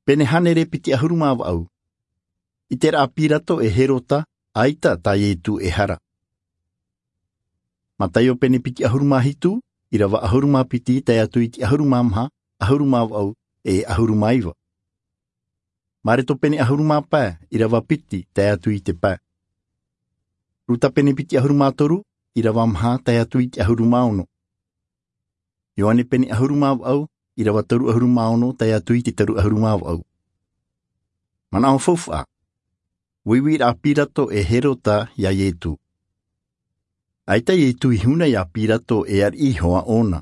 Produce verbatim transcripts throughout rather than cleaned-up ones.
Pene hānere piti ʻahuru mā vaʻu. ʻIte rā ʻo Pirato e Herota, ʻaita tā Ietu e hara. Mataio pene piti ʻahuru mā hitu, ʻirava ʻahuru mā piti tae atu i te ʻahuru mā maha, ʻahuru mā vaʻu, e ʻahuru mā iva. Mareko pene ʻahuru mā pae, ʻirava piti tae atu i te pae. Luka pene piti ʻahuru mā toru, ʻirava maha tae atu i te ʻahuru mā ono. Ioane pene ʻahuru mā vaʻu, ʻirava toru ʻahuru mā ono tae atu i te toru ʻahuru mā vaʻu. Manaʻo faufaʻa. Uiui rā ʻo Pirato e Herota ia Ietu. ʻAita Ietu i huna ia Pirato e ariʻi iho ā ʻōna.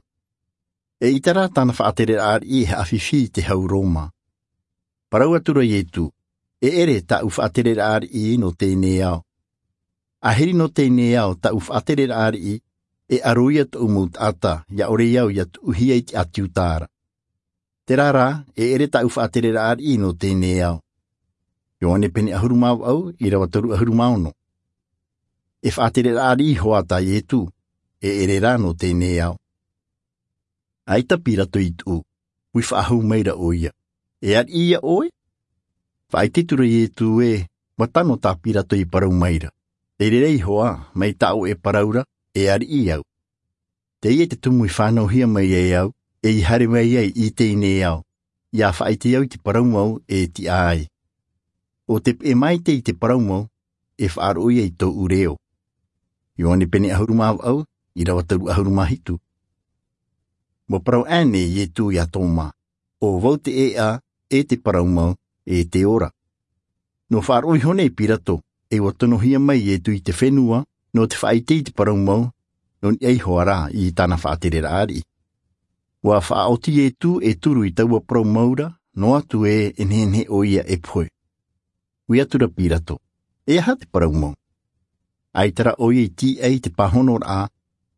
E ʻita rā tāna faʻatereraʻa ariʻi e haʻafifi i te hau Roma. Parau atu ra Ietu, e ʻere tāʻu faʻatereraʻa ariʻi nō teie nei ao. ʻAhiri nō teie nei ao tāʻu faʻatereraʻa ariʻi, e ʻaro ia tōʻu mau taʻata, ia ʻore au ia tuʻuhia i te ʻĀti Iuta ra. Terā rā, e ʻere tāʻu faʻatereraʻa ariʻi nō teie nei ao. Ioane pene ʻahuru mā vaʻu, ʻirava toru ʻahuru mā ono. E faʻatereraʻa ariʻi iho ā tā Ietu, e ʻere rā nō teie nei ao. ʻAita Pirato i tuʻu, ui faʻahou maira ʻoia. E ariʻi ia ʻoe? Faʻaʻite atu ra Ietu ē, ʻua tano tā Pirato i parau maira. E reira iho ā, mai tā ʻoe e parau ra, e ariʻi au. Teie te tumu i fānauhia mai ai au, e i haere mai ai i teie nei ao. Ia faʻaʻite au i te parau mau e tiʻa ai. ʻO te peʻe maitaʻi i te parau mau, e faʻaroʻo ia i tōʻu reo. Ioane pene ʻahuru mā vaʻu, ʻirava toru ʻahuru mā hitu. ʻUa parau ānei Ietu ia Toma, ʻo vau te ʻēʻa, e te parau mau, e te ora. Nō faʻaroʻo iho nei Pirato, e ʻua tonohia mai Ietu i te fenua, nō te faʻaʻite i te parau mau, nō niʻa iho ā rā i tāna faʻatereraʻa ariʻi. ʻUa faʻaoti Ietu e turu i taua parau mau ra, noa atu ē e nehenehe ʻoia e pohe. Ui atu ra Pirato, e aha te parau mau? ʻAita rā ʻoia i tīaʻi i te pāhonoraʻa,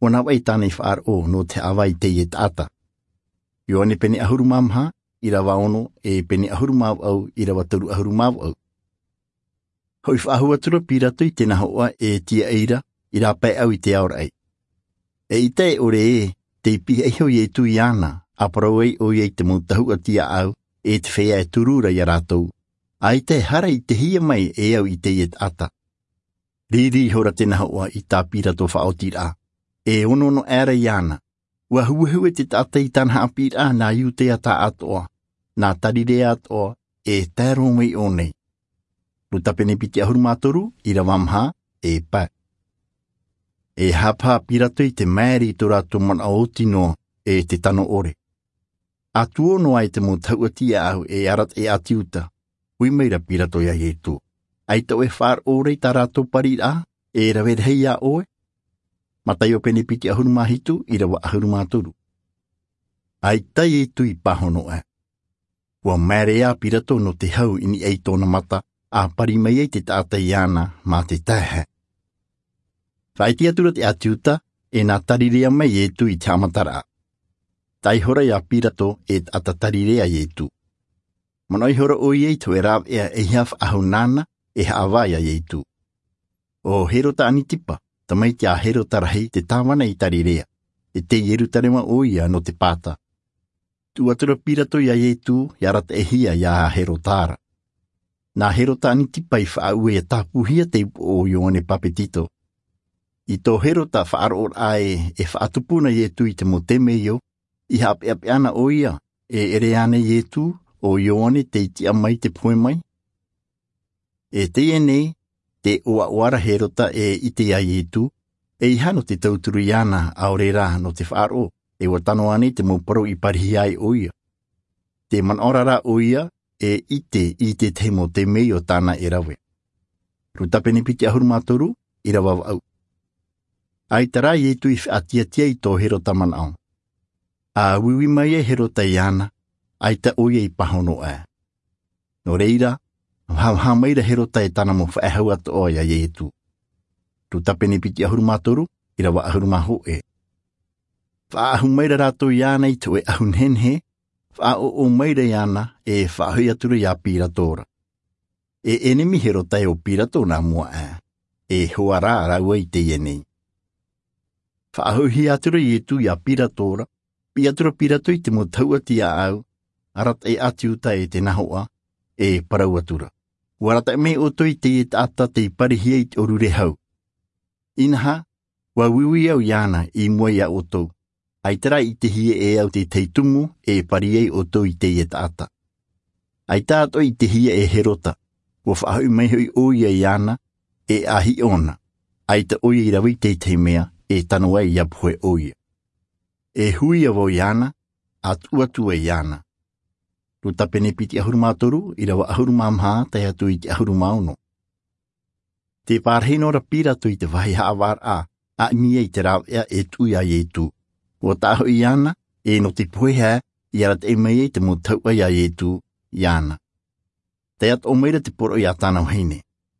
ʻua navaʻi tāna i faʻaroʻo nō te haʻavā i teie taʻata. Ioane pene ʻahuru mā maha, ʻirava ono, e pene ʻahuru mā vaʻu, ʻirava toru ʻahuru mā vaʻu. Hoʻi faʻahou atu ra Pirato i te nahoʻa e tīaʻi ra, i rāpae au i te ao raʻi. E ʻita e ʻore ē, tei pihaʻi iho Ietu iāna, ʻa parau ai ʻoia i te mau tahuʻa tiaʻau, e te feiā e turu ra ia rātou. ʻAita e hara i ʻitehia mai e au i teie taʻata. Riri ihora te nahoʻa i tā Pirato faʻaotiraʻa. E onoono aʻera iāna. ʻUa huehue te taʻata i tāna haʻapiʻiraʻa nā Iudea tāʻātoʻa, nā Tarirea atoʻa, e tae roa mai ʻō nei. Luka pene piti ʻahuru mā toru, ʻirava maha, e pae. E haʻapaʻo Pirato i te maere i tō rātou manaʻo oti noa, e te tano ʻore. ʻA tuō noa ai te mau tahuʻa tiaʻau e arataʻi ʻĀti Iuta, ui maira Pirato ia Ietu. ʻAita ʻoe e faʻaroʻo ra i tā rātou pariraʻa, e rave rahi ia ʻoe? Mataio pene piti ʻahuru mā hitu, ʻirava ʻahuru mā toru. ʻAita Ietu i pāhono aʻe. ʻUa maere ā Pirato nō te hau i niʻa i tōna mata, ʻa pari mai ai te taʻata iāna mā te taehae. Faʻaʻite atu ra te ʻĀti Iuta, e nā Tarirea mai Ietu i te haʻamataraʻa. Tae ihora ia Pirato e taʻata Tarirea Ietu. Manaʻo ihora ʻoia i te hōʻē rāveʻa e ʻeiaha faʻahou nāna e haʻavā ia Ietu. ʻO Herota Anitipa, tamaiti a Herota rahi te tāvana i Tarirea, e tei Ierutarema ʻoia nō te Pāta. Tuʻu atu ra Pirato ia Ietu, ia arataʻihia ia Herota ra. Nā Herota Anitipa i faʻaue ia tāpūhia te upoʻo o Ioane Papetito. I tō Herota faʻaroʻoraʻa ē e faʻatupu na Ietu i te mau temeio, i haʻapeʻapeʻa na ʻoia, e ʻere ānei Ietu, ʻo Ioane tei tiʻa mai te pohe mai? E teie nei, tē ʻoaʻoa ra Herota e ʻite ia Ietu, ʻeiaha nō te tauturu iāna ʻaore rā nō te faʻaroʻo, e ʻua tano ānei te mau parau i parihia ai ʻoia. Tē manaʻo ra rā ʻoia, e ʻite i te tahi mau temeio tāna e rave. Luka pene piti ʻahuru mā toru, ʻirava vaʻu. ʻAita rā Ietu i faʻatiatia i tō Herota manaʻo. ʻA uiui mai ai Herota iāna, ʻaita ʻoia i pāhono aʻe. Nō reira, vahavāha maira Herota e tāna mau faʻehau atoʻa ia Ietu. Luka pene piti ʻahuru mā toru, ʻirava ʻahuru mā hōʻē. Faʻaʻahu maira rātou iāna i te hōʻē ʻahu nehenehe, faʻaʻoʻou maira iāna, e faʻahoʻi atu ra ia Pirato ra. E ʻenemi Herota ʻo Pirato nā mua aʻe, e hoa rā rāua i teie nei. Faʻahoʻihia atu ra Ietu ia Pirato ra, piʻi atu ra Pirato i te mau tahuʻa tiaʻau, arataʻi ʻĀti Iuta e te nahoʻa, e parau atura. Ua arataʻi mai ʻoutou i teie taʻata tei parihia i te ʻorure hau. Inaha, ua uiui au iāna i mua iā ʻoutou. ʻAita rā i te hia e au te tahi tumu e pari ai ʻoutou i teie taʻata. ʻAita atoʻa i te hia e herota, ua faʻahoʻi mai hoʻi ʻoia iāna, e ʻahiʻo na. ʻAita ʻoia i rave i te tahi mea e tano ai ia pohe ʻoia. E huia vau iāna, a tuʻu atu ai iāna. Luka pene piti ʻahuru mā toru, ʻirava ʻahuru mā maha tae atu i te ʻahuru mā ono. Te parahi noa ra pirato i te vāhi haʻavāraʻa, a ʻimi ai te rāveʻa e tuʻu iā ietū. Ua taʻahoʻi iāna, e nō te pohe hea i arataʻi mai ai te mau tahuʻa iā ietū iāna. Tae atoʻa mai ra te poroʻi a tāna vahine,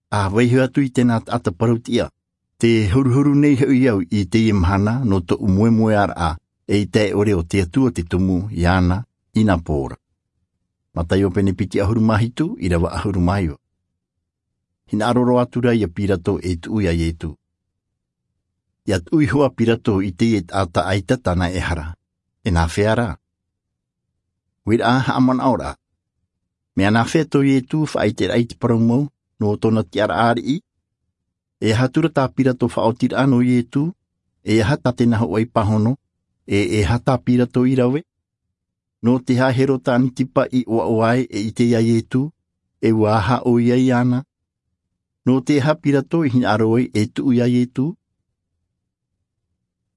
a vaiho atu i tēnā taʻata parau tiʻa, te horuhoru nei hoʻi au i teie mahana nō tōʻu moemoearaʻa, e i tae ʻore o te atua te tumu iāna i nā pō ra. Mataio pene piti ʻahuru mā hitu, ʻirava ʻahuru mā iva. Hinaʻaro roa atu rā ia pirato e tuʻu iā ietū. Ia tuʻu iho ā pirato i teie taʻata ʻaita tāna ʻehara. E nāfea rā? Uiraʻa, haʻamanaʻo rā. Mea nāfea tō ietū faʻaiteraʻa i te parau mau nō tōna tiʻaraʻa ariʻi? E aha atu rā tā pirato faʻaotiraʻa nō ietū? E aha tā tēnā hoʻo ʻai pāhono? E e aha tā pirato i rave? Nō te aha herota anitipa i ʻoaʻoa ai e ʻite iā ietū? E ua aha ʻoia iāna? Nō te aha pirato i hinaʻaro ai e tuʻu iā ietū?